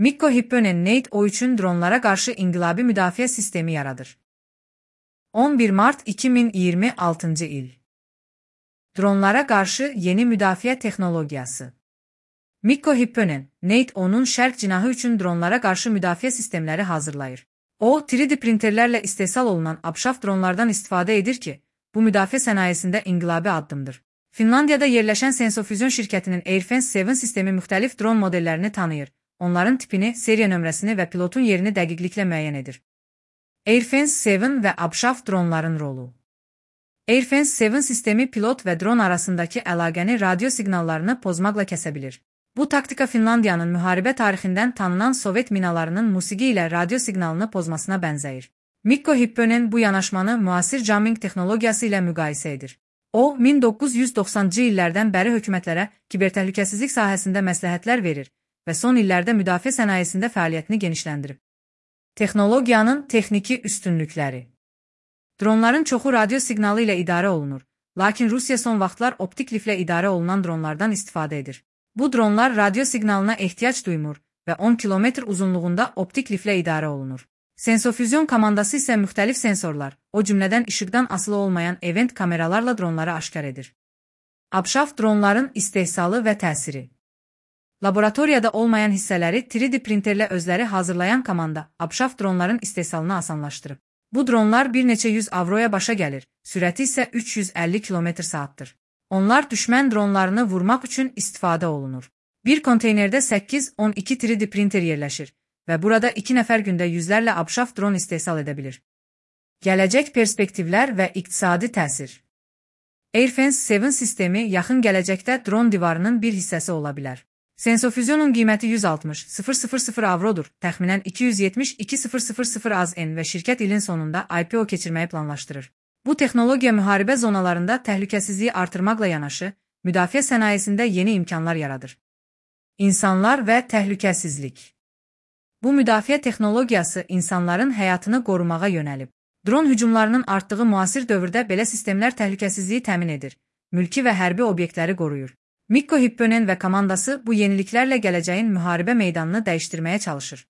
Mikko Hipponen NATO üçün dronlara qarşı inqilabi müdafiə sistemi yaradır. 11 Mart 2026 il. Dronlara qarşı yeni müdafiə texnologiyası. Mikko Hipponen, NATO'nun şərq cinahı üçün dronlara qarşı müdafiə sistemləri hazırlayır. O, 3D printerlərlə istehsal olunan abşaf dronlardan istifadə edir ki, bu müdafiə sənayesində inqilabi addımdır. Finlandiyada yerləşən Sensofusion şirkətinin AirFence 7 sistemi müxtəlif dron modellərini tanıyır, onların tipini, seriya nömrəsini və pilotun yerini dəqiqliklə müəyyən edir. AirFence 7 və abşaf dronların rolu. AirFence 7 sistemi pilot və dron arasındakı əlaqəni radio siqnallarını pozmaqla kəsə bilir. Bu taktika Finlandiyanın müharibə tarixindən tanınan Sovet minalarının musiqi ilə radio siqnalını pozmasına bənzəyir. Mikko Hipponen bu yanaşmanı müasir jamming texnologiyası ilə müqayisə edir. O, 1990-cı illərdən bəri hökumətlərə kibertəhlükəsizlik sahəsində məsləhətlər verir və son illərdə müdafiə sənayesində fəaliyyətini genişləndirib. Texnologiyanın texniki üstünlükləri. Dronların çoxu radio siqnalı ilə idarə olunur, lakin Rusiya son vaxtlar optik liflə idarə olunan dronlardan istifadə edir. Bu dronlar radio siqnalına ehtiyac duymur və 10 km uzunluğunda optik liflə idarə olunur. Sensofusion komandası isə müxtəlif sensorlar, o cümlədən işıqdan asılı olmayan event kameralarla dronları aşkar edir. Abşaf dronların istehsalı və təsiri. Laboratoriyada olmayan hissələri 3D printerlə özləri hazırlayan komanda abşaf dronların istehsalını asanlaşdırıb. Bu dronlar bir neçə 100 avroya başa gəlir, sürəti isə 350 km/saatdır. Onlar düşmən dronlarını vurmaq üçün istifadə olunur. Bir konteynerdə 8-12 3D printer yerləşir və burada 2 nəfər gündə yüzlərlə abşaf dron istehsal edə bilir. Gələcək perspektivlər və iqtisadi təsir. AirFence 7 sistemi yaxın gələcəkdə dron divarının bir hissəsi ola bilər. Sensofusionun qiyməti 160.000 avrodur, təxminən 272.000 AZN və şirkət ilin sonunda IPO keçirməyi planlaşdırır. Bu texnologiya müharibə zonalarında təhlükəsizliyi artırmaqla yanaşı, müdafiə sənayesində yeni imkanlar yaradır. İnsanlar və təhlükəsizlik. Bu müdafiə texnologiyası insanların həyatını qorumağa yönəlib. Dron hücumlarının artdığı müasir dövrdə belə sistemlər təhlükəsizliyi təmin edir, mülki və hərbi obyektləri qoruyur. Mikko Hipponen və komandası bu yeniliklərlə gələcəyin müharibə meydanını dəyişdirməyə çalışır.